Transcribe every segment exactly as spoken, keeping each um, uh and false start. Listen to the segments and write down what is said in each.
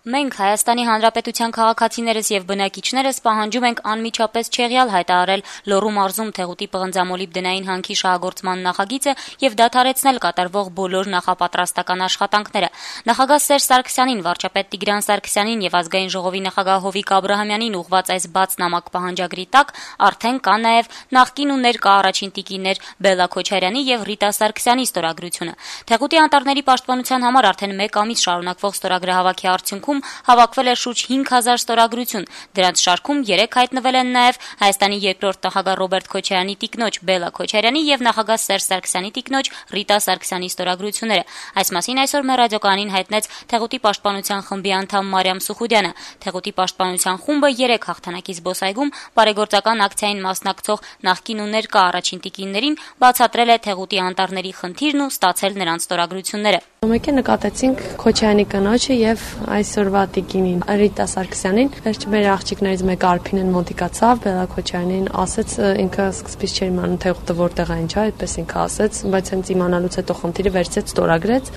Մենք Հայաստանի Հանրապետության քաղաքացիներս եւ բնակիչներս պահանջում ենք անմիջապես չեղյալ հայտարարել Լոռու մարզում Թեղուտի պղնձամոլիբդենային հանքի շահագործման նախագիծը եւ դադարեցնել կատարվող բոլոր նախապատրաստական աշխատանքները։ Նախագահ Սերժ Սարգսյանին, վարչապետ Տիգրան Սարգսյանին եւ ազգային ժողովի նախագահ Հովիկ Աբրահամյանին ուղղված այս բաց նամակ պահանջագրի տակ արդեն կա նաեւ նախկին ու ներկա առաջին տիկիններ Բելլա Քոչարյանի եւ Ռիտա Սարգսյանի ստորագրությունը։ Թեղուտի անտառների պաշտպանության համար արդեն մեկ ամիս շարունակվող ստորագրահավաքի արդյունքում հավաքվել է շուրջ հինգ հազար ստորագրություն։ Դրանց շարքում երեք հայտնվել են նաև Հայաստանի երկրորդ նախագահ Ռոբերտ Քոչարյանի տիկնոջ Բելլա Քոչարյանի եւ նախագահ Սերժ Սարգսյանի տիկնոջ Ռիտա Սարգսյանի ստորագրությունները։ Այս մասին այսօր մեր ռադիոկայանին հայտնեց Թեղուտի պաշտպանության խմբի անդամ Մարիամ Սուխուդյանը։ Թեղուտի պաշտպանության խումբը երեք հաղթանակի զբոսայգում բարեգործական ակցիային մասնակցող նախկին ու ներկա առաջին տիկիններին բացատրել է Թեղուտի անտառների խնդիրն ու ստացել նրանց ստորագրությունները։ Մեկ է նկատեցինք Քոչարյանի կնոջը եւ այսօրվա տիկինին Ռիտա Սարգսյանին, վերջ մեր աղջիկներից մեկը Արփինեն մոտիկացավ, Բելլա Քոչարյանին ասեց, ինքը սկզբից չէր իմանում Թեղուտը որտեղ է, ինչա, այդպես ինքը ասեց, բայց հենց իմանալուց հետո խնդիրը վերցեց, ստորագրեց։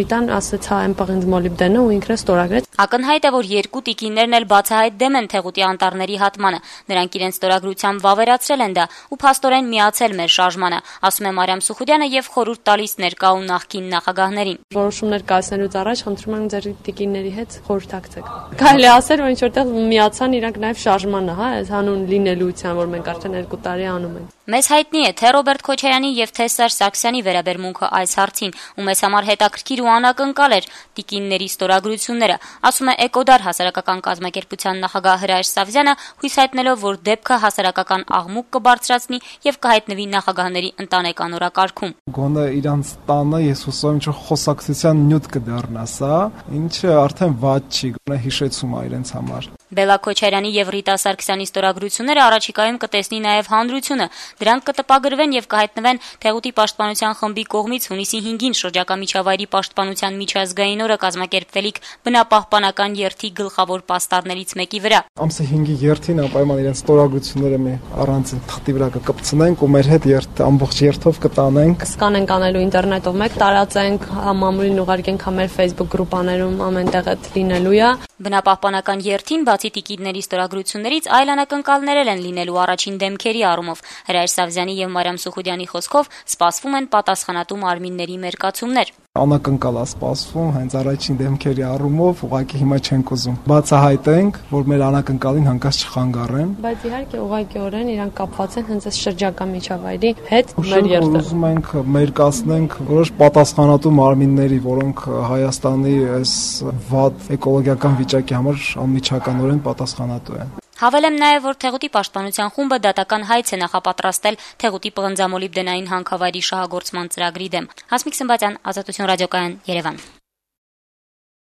Ռիտան ասեց, հա, այն պղնձմոլիբդենը ու ինքը ստորագրեց։ Ակնհայտ է, որ երկու տիկիններն էլ բացահայտ դեմ են Թեղուտի անտառների հատմանը։ Նրանք իրենց ստորագրությամբ վավերացրել են դա ու փաստորեն միացել մեր շարժմանը, ասում է Մարիամ Սուխուդյանը եւ խորհուրդ տալիս ներկա ու նախկին նախագահներին։ Որոշումներ կայացնելուց առաջ խնդրում եմ ձեր տիկինների հետ խորհրդակցեք։ Կարելի է ասել, որ ինչ որտեղ միացան իրանք նաև շարժմանը, հա, այս հանուն լինելիության, որ մենք արդեն երկու տարի անում ենք։ Մեզ հայտնի է թե Ռոբերտ Քոչարյանի եւ թե Սերժ Սարգսյանի վերաբերմունքը այս հարցին, ու մեզ համար հետաքրքիր ու անակնկալ էր տիկինների ստորագրությունները, ասում է Էկոդար հասարակական կազմակերպության նախագահ Հրայր Սավզյանը, հույս հայտնելով, որ դեպքը հասարակական աղմուկ կբարձրացնի եւ կհայտնվի նախագահների ընտանեկան օրակարգում։ Գոնե իրանց տանը ես հուսով ինչ որ խոսակցության նյութ կդառնա սա, ինչը արդեն վատ չի, գոնե հիշեցում է իրենց համար։ Բելլա Քոչարյանի եւ Ռիտա Սարգսյանի ստորագրությունները առաջիկայում կտեսնի նաեւ հանրությունը։ Դրանք կտպագրվեն եւ կհայտնվեն Թեղուտի պաշտպանության խմբի կողմից հունիսի հինգին շրջակա միջավայրի պաշտպանության միջազգային օրը կազմակերպվելիք բնապահպանական երթի գլխավոր պաստառներից մեկի վրա։ Ամսի հինգի երթին անպայման իրենց ստորագրությունները մի առանձին թղթի վրա կկպցնենք ու մեր հետ երթ ամբողջ երթով կտանենք։ Սկանենք անելու ինտերնետով մեկ տարածենք, համամուրին ուղարկենք մեր Facebook գրուպաներում ամենտեղ այդ լինելու է։ Բնապահպանական երթին բացի տիկինների ստորագրություններից այլ անակնկալներ են լինելու առաջին դեմքերի առումով։ Հրայր Սավզյանի եւ Մարիամ Սուխուդյանի խոսքով սպասվում են պատասխանատու մարմինների մերկացումներ։ Անակնկալ է սպասվում, հենց առաջին դեմքերի առումով ուղղակի հիմա չենք ուզում բացահայտենք, որ մեր անակնկալին հանկարծ չխանգարեն։ Բայց իհարկե ուղղակիորեն իրանք կապված են հենց այս շրջակա միջավայրի հետ մեր երթը։ Ուզում ենք մերկացնենք որոշ պատասխանատու մարմինների, որոնք Հայաստանի այս վատ էկոլոգիական վիճակի համար անմիջականորեն պատասխանատու են։ Հավելեմ նաև, որ Թեղուտի պաշտպանության խումբը դատական հայց է նախապատրաստել Թեղուտի պղնձամոլիբդենային հանքավայրի շահագործման ծրագրի դեմ։ Հասմիկ Սմբատյան, Ազատություն ռադիոկայան, Երևան։